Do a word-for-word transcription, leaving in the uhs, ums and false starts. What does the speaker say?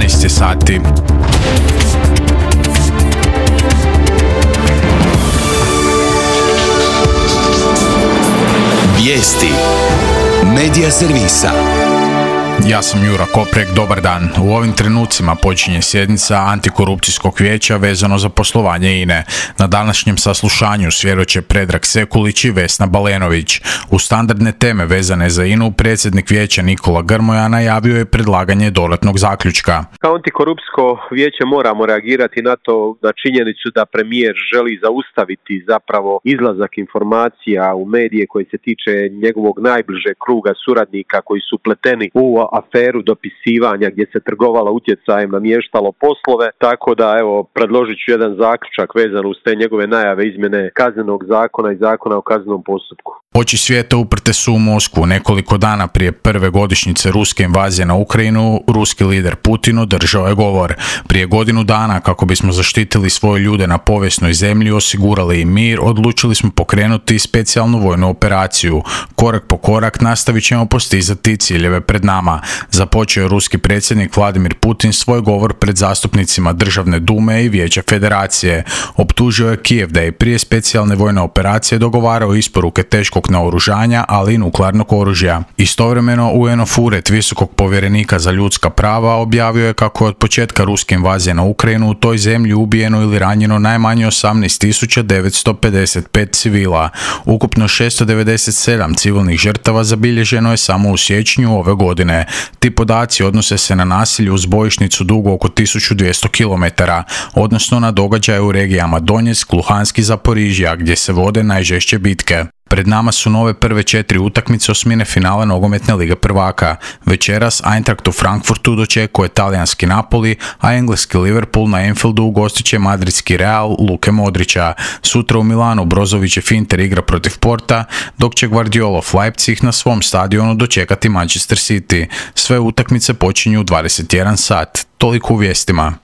dvanaest sati. Vijesti Medija servisa. Ja sam Jura Koprek, dobar dan. U ovim trenucima počinje sjednica Antikorupcijskog vijeća vezano za poslovanje I N E. Na današnjem saslušanju svjedoče Predrag Sekulić i Vesna Balenović. U standardne teme vezane za I N A-u predsjednik vijeća Nikola Grmoja najavio je predlaganje dodatnog zaključka. Kao Antikorupcijsko vijeće moramo reagirati na to, na činjenicu da premijer želi zaustaviti zapravo izlazak informacija u medije koji se tiče njegovog najbližeg kruga suradnika koji su upleteni u aferu dopisivanja gdje se trgovalo utjecajem, namještalo poslove, tako da evo predložit ću jedan zaključak vezan uz te njegove najave izmjene kaznenog zakona i zakona o kaznenom postupku. Oči svijeta uprte su u Moskvu. Nekoliko dana prije prve godišnjice ruske invazije na Ukrajinu, ruski lider Putin održao je govor. Prije godinu dana, kako bismo zaštitili svoje ljude na povijesnoj zemlji, osigurali im mir, odlučili smo pokrenuti specijalnu vojnu operaciju. Korak po korak nastavit ćemo postizati ciljeve pred nama. Započeo je ruski predsjednik Vladimir Putin svoj govor pred zastupnicima Državne dume i Vijeća federacije. Optužio je Kijev da je prije specijalne vojne operacije dogovarao isporuke teškog naoružanja, ali i nuklearnog oružja. Istovremeno, U N-ov ured visokog povjerenika za ljudska prava objavio je kako je od početka ruske invazije na Ukrajinu u toj zemlji ubijeno ili ranjeno najmanje osamnaest tisuća devetsto pedeset pet civila. Ukupno šesto devedeset sedam civilnih žrtava zabilježeno je samo u siječnju ove godine. Ti podaci odnose se na nasilje uz bojišnicu dugo oko tisuću dvjesto kilometara, odnosno na događaje u regijama Donjeck, Luhansk i Zaporižja, gdje se vode najžešće bitke. Pred nama su nove prve četiri utakmice osmine finala nogometne lige prvaka. Večeras Eintracht u Frankfurtu dočekuje talijanski Napoli, a engleski Liverpool na Anfieldu ugostit će madridski Real Luke Modrića. Sutra u Milanu Brozovićev Inter igra protiv Porta, dok će Guardiolov Leipzig na svom stadionu dočekati Manchester City. Sve utakmice počinju u dvadeset jedan sat. Toliko u vijestima.